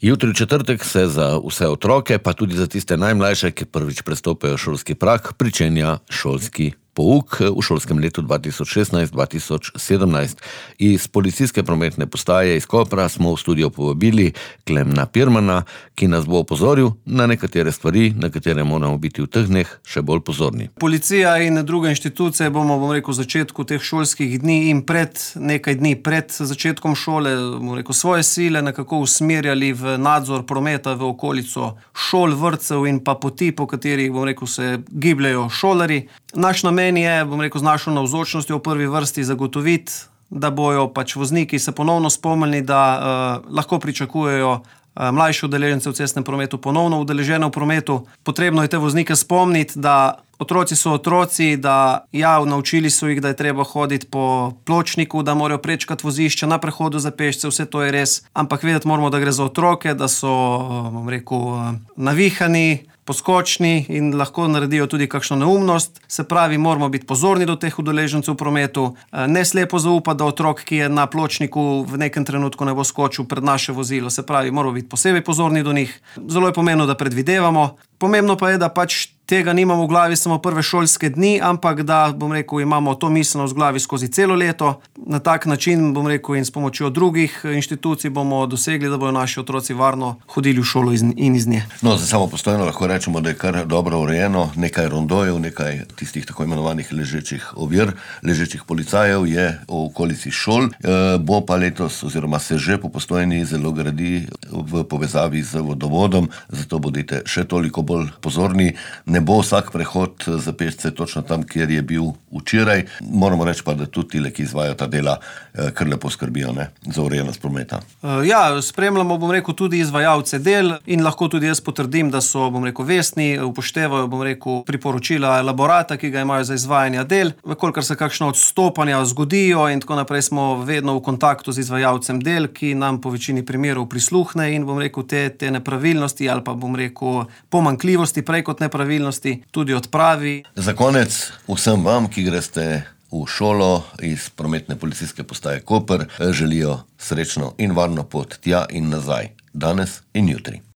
Jutri v četrtek se za vse otroke, pa tudi za tiste najmlajše, ki prvič prestopajo šolski prag, pričenja šolski pouk v šolskem letu 2016-2017. Iz policijske prometne postaje iz Kopra smo v studio povabili Klemna Pirmana, ki nas bo opozoril na nekatere stvari, na katere moramo biti v teh dneh še bolj pozorni. Policija in druge inštitucije bomo, v začetku teh šolskih dni in nekaj dni pred začetkom šole, svoje sile nekako usmerjali v nadzor prometa v okolico šol, vrtcev in pa poti, po katerih, se gibljajo šolarji. Naš namen je, z našo navzočnostjo v prvi vrsti zagotoviti, da bojo vozniki se ponovno spomnili, da lahko pričakujejo mlajše udeležence v cestnem prometu ponovno udeležene v prometu. Potrebno je te voznike spomniti, da otroci so otroci, da naučili so jih, da je treba hoditi po pločniku, da morajo prečkati vozišče na prehodu za pešce, vse to je res. Ampak vedeti moramo, da gre za otroke, da so, navihani, poskočni in lahko naredijo tudi kakšno neumnost. Se pravi, moramo biti pozorni do teh udeležencev v prometu, ne slepo zaupati, da otrok, ki je na pločniku, v nekem trenutku ne bo skočil pred naše vozilo. Se pravi, moramo biti posebej pozorni do njih. Zelo je pomembno, da predvidevamo. Pomembno pa je, da tega nimamo v glavi samo prve šolske dni, ampak da, imamo to miselnost v glavi skozi celo leto. Na tak način, in s pomočjo drugih inštitucij bomo dosegli, da bodo naši otroci varno hodili v šolo in iz nje. No, za samopostojno lahko rečemo, da je kar dobro urejeno, nekaj rondojev, nekaj tistih tako imenovanih ležečih ovir, ležečih policajev je v okolici šol. Bo pa letos, oziroma se že po Postojni zelo gradi v povezavi z vodovodom, zato bodite še toliko bolj pozorni. Ne bo vsak prehod za pešce točno tam, kjer je bil včeraj. Moramo reči pa, da tudi tile, ki izvajajo ta dela, kar lepo skrbijo za urejenost prometa. Spremljamo, tudi izvajalce del in lahko tudi jaz potrdim, da so, vestni, upoštevajo, priporočila elaborata, ki ga imajo za izvajanje del. Kolikor se kakšno odstopanja zgodijo in tako naprej, smo vedno v kontaktu z izvajalcem del, ki nam po večini primerov prisluhne in, te nepravilnosti ali pa, pomanjkljivosti prej kot nepravilnosti tudi odpravi. Za konec vsem vam, ki greste v šolo iz prometne policijske postaje Koper, želijo srečno in varno pot tja in nazaj, danes in jutri.